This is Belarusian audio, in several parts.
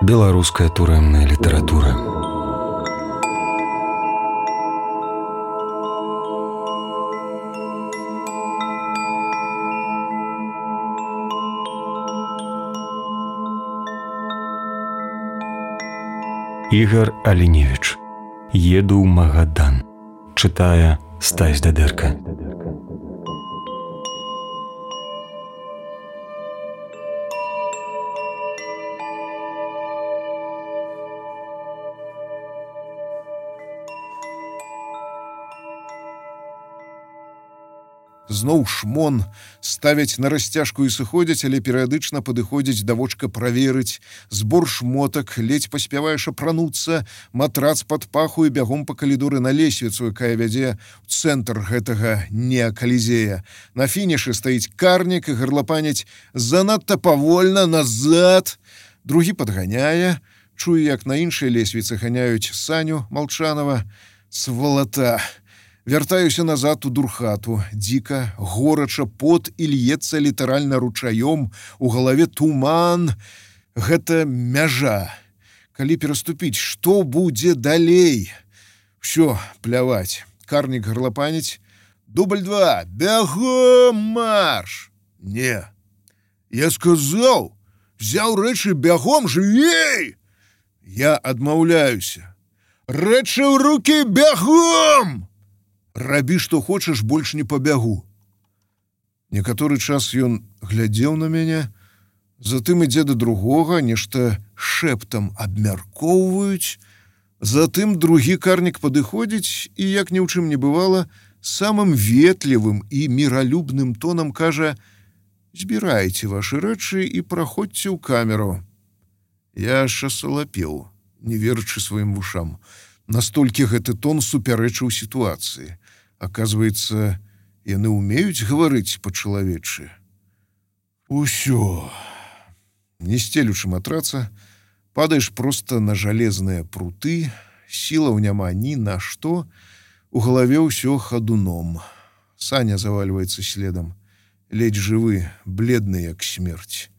Беларуская турэмная літаратура. Ігар Аліневіч. Еду ў Магадан. Чытае Стась Дадэрка. Зноў шмон, ставяць на расцяжку і сыходзяць, але перыядычна падыходзіць да вочка праверыць. Збор шмотак, ледзь паспяваеш апрануцца, матрац пад паху і бягом па калідоры на лесвіцу, якая вядзе ў цэнтр гэтага неакалізея. На фінішы стаіць карнік і гарлапаняць занадта павольна, назад. Другі падганяе. Чую, як на іншай лесвіцы ганяюць Саню Малчанова. Свалата! Вяртаюся назад у дурхату. Дзіка, горача, пот і льецца літаральна ручаём. У галаве туман. Гэта мяжа. Калі пераступіць, што будзе далей? Усё, пляваць. Карнік гарлапаніць. Дубль 2. Бягом марш! Не. Я сказаў, взяў рэчы бягом, жывей! Я адмаўляюся. Рэчы ў рукі бягом! Рабі, што хочаш, больш не пабягу. Некаторы час ён глядзеў на мяне, затым ідзе да другога, нешта шэптам абмяркоўваюць, затым другі карнік падыходзіць і, як ні ў чым не бывала, самым ветлівым і міралюбным тонам кажа: «Збірайце вашы рэчы і праходзьце ў камеру». Я аж асалапеў, не верачы сваім вушам. Настолькі гэты тон супярэчыў сітуацыі. Аказваецца, яны ўмеюць гаварыць па-чалавечы. Усё. Не сцелючы матраца, падаеш проста на жалезныя пруты, сілаў няма ні на што, у галаве ўсё хадуном. Саня завальваецца следам, ледзь жывы, бледны, як смерць.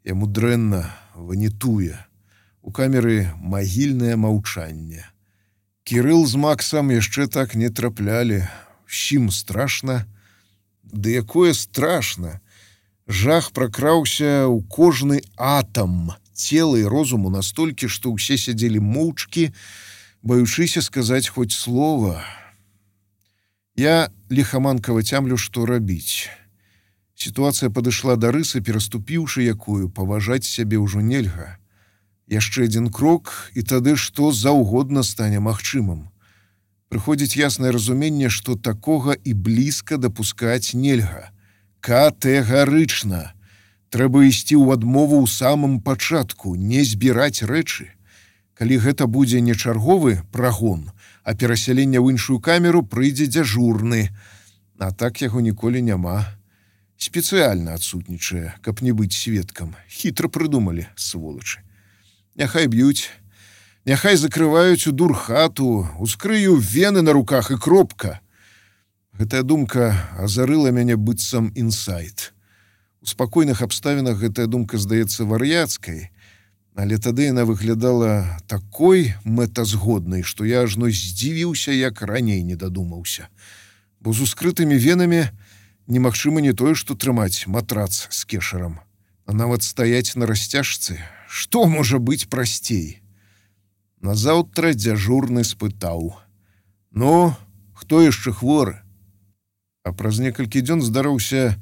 Яму дрэнна, ванітуе. У камеры магільнае маўчанне. Кірыл з Максам яшчэ так не траплялі. Усім страшна. Ды якое страшна! Жах пракраўся ў кожны атам цела і розуму настолькі, што ўсе сядзелі моўчкі, баючыся сказаць хоць слова. Я ліхаманкава цямлю, што рабіць. Сітуацыя падышла да рысы, пераступіўшы якую, паважаць сябе ўжо нельга. Яшчэ адзін крок, і тады што заўгодна стане магчымым. Прыходзіць яснае разуменне, што такога і блізка дапускаць нельга. Катэгарычна. Трэба ісці ў адмову ў самым пачатку, не збіраць рэчы. Калі гэта будзе не чарговы прагон, а перасяленне ў іншую камеру, прыйдзе дзяжурны. А так яго ніколі няма. Спецыяльна адсутнічае, каб не быць сведкам. Хітра прыдумалі, сволачы. Няхай б'юць, няхай закрываюць у дурхату, ускрыю вены на руках і кропка. Гэтая думка азарыла мяне быццам інсайт. У спакойных абставінах гэтая думка здаецца вар'яцкай, але тады яна выглядала такой мэтазгоднай, што я ажно здзівіўся, як раней не дадумаўся. Бо з ускрытымі венамі немагчыма не тое, што трымаць матрац з кешарам, а нават стаяць на расцяжцы. Што можа быць прасцей? Назаўтра дзяжурны спытаў: «Ну, хто яшчэ хворы?» А праз некалькі дзён здарыўся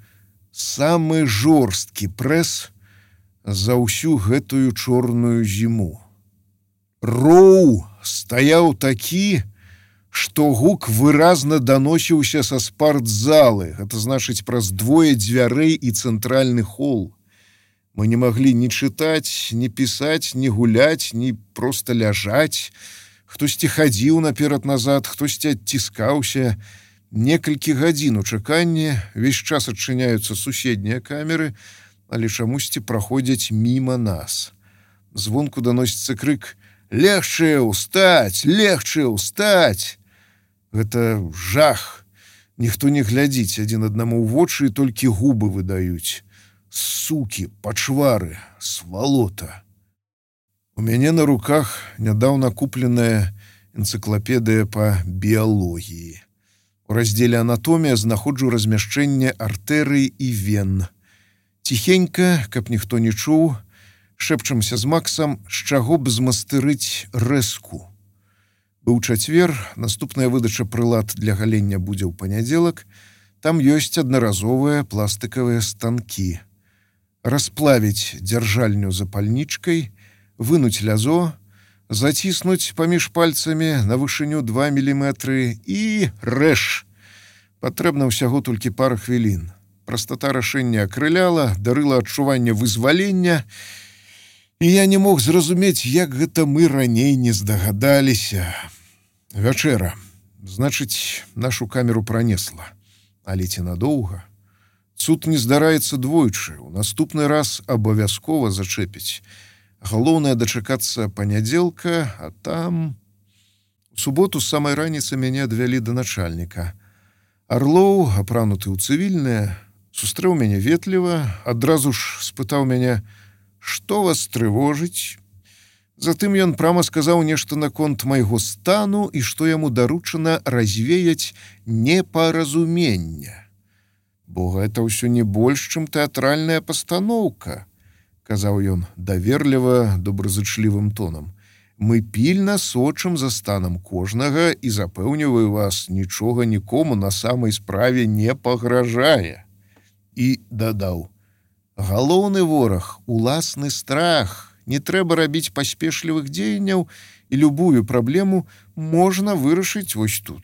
самы жорсткі прэс за ўсю гэтую чорную зіму. Роў стаяў такі, што гук выразна даносіўся са спартзалы, гэта значыць праз двое дзвярэй і цэнтральны хол. Мы не маглі ні чытаць, ні пісаць, ні гуляць, ні проста ляжаць. Хтосьці хадзіў наперад-назад, хтосьці адціскаўся. Некалькі гадзін у чаканні, увесь час адчыняюцца суседнія камеры, але чамусьці праходзяць міма нас. Звонку даносіцца крык: «Легче ўстаць! Легче ўстаць!» Гэта жах. Ніхто не глядзіць адзін аднаму ў вочы і толькі губы выдаюць. Сукі, пачвары, свалота. У мяне на руках нядаўна купленая энцыклапедыя па біялогіі. У раздзеле «Анатомія» знаходжу размяшчэнне артэрый і вен. Ціхенька, каб ніхто не чуў, шэпчамся з Максам, з чаго б змастырыць рэзку. Быў чацвер, наступная выдача прылад для галення будзе ў панядзелак. Там ёсць аднаразовыя пластыкавыя станкі. Расплавіць дзяржальню запальнічкай, вынуць лязо, заціснуць паміж пальцамі на вышыню 2 міліметры і рэж. Патрэбна ўсяго толькі пара хвілін. Прастата рашэння акрыляла, дарыла адчуванне вызвалення, і я не мог зразумець, як гэта мы раней не здагадаліся. Вячэра. Значыць, нашу камеру пранесла. Але ці надоўга? Цуд не здараецца двойчы. У наступны раз абавязкова зачэпіць. Галоўнае дачакацца панядзелка, а там... У суботу з самай раніцы мяне адвялі да начальніка. Арлоў, апрануты ў цывільнае, сустрэў мяне ветліва, адразу ж спытаў мяне, што вас трывожыць? Затым ён прама сказаў нешта наконт майго стану і што яму даручана развеяць непаразумення. Бо гэта ўсё не больш, чым тэатральная пастаноўка, казаў ён даверліва, добразычлівым тонам. Мы пільна сочым за станам кожнага і запэўніваю вас, нічога нікому на самай справе не пагражае. І дадаў: галоўны вораг — уласны страх. Не трэба рабіць паспешлівых дзеянняў, і любую праблему можна вырашыць вось тут.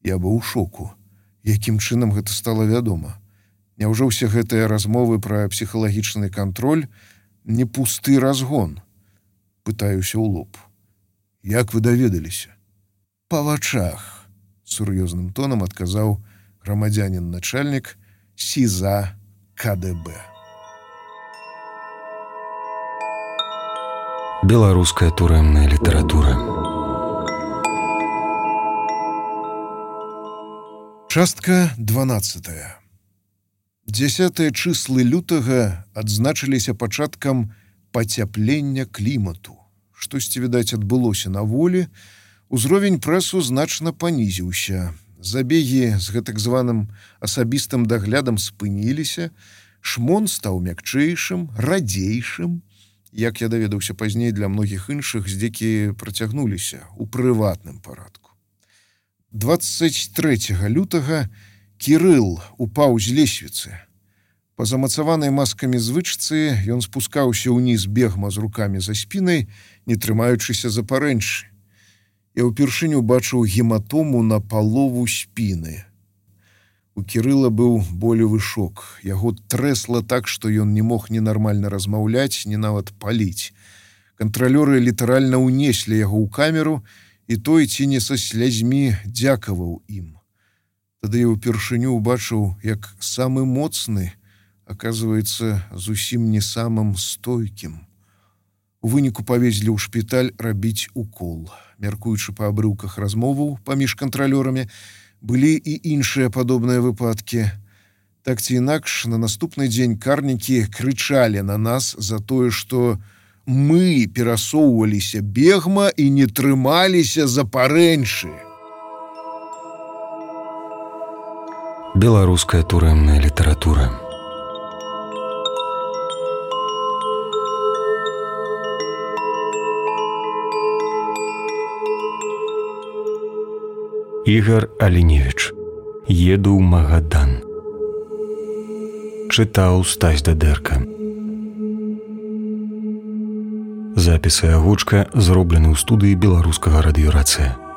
Я быў у шоку. Якім чынам гэта стала вядома? Няўжо ўсе гэтыя размовы пра псіхалагічны кантроль не пусты разгон? Пытаюся ў лоб. Як вы даведаліся? Па вачах, сур'ёзным тонам адказаў грамадзянін-начальнік СІЗА КДБ. Беларуская турэмная літаратура. Частка 12. 10 чыслы лютага адзначыліся пачаткам пацяплення клімату. Штосьці, відаць, адбылося на волі, узровень прэсу значна панізіўся. Забегі з гэтак званым асабістым даглядам спыніліся, шмон стаў мякчэйшым, радзейшым. Як я даведаўся пазней, для многіх іншых здзекі працягнуліся ў прыватным парадку. 23 лютага Кірыл упаў з лесвіцы. Па замацаванай маскамі звычцы ён спускаўся ўніз бегма з рукамі за спінай, не трымаючыся за парэнчы. Я ўпершыню бачыў гематому на палову спіны. У Кірыла быў болевы шок. Яго трэсла так, што ён не мог ні нармальна размаўляць, ні нават паліць. Кантралёры літаральна ўнеслі яго ў камеру, і той ці не са слязьмі дзякаваў ім. Тады я ўпершыню ўбачыў, як самы моцны аказваецца зусім не самым стойкім. У выніку павезлі ў шпіталь рабіць укол. Мяркуючы па абрыўках размоваў паміж кантралёрамі, былі і іншыя падобныя выпадкі. Так ці інакш, на наступны дзень карнікі крычалі на нас за тое, што мы перасоўваліся бегма і не трымаліся за парэнчы. Беларуская турэмная літаратура. Ігар Аліневіч. Еду ў Магадан. Чытаў Стась Дадэрка. Запіс і агучка зроблены ў студыі беларускага радыёрацыя.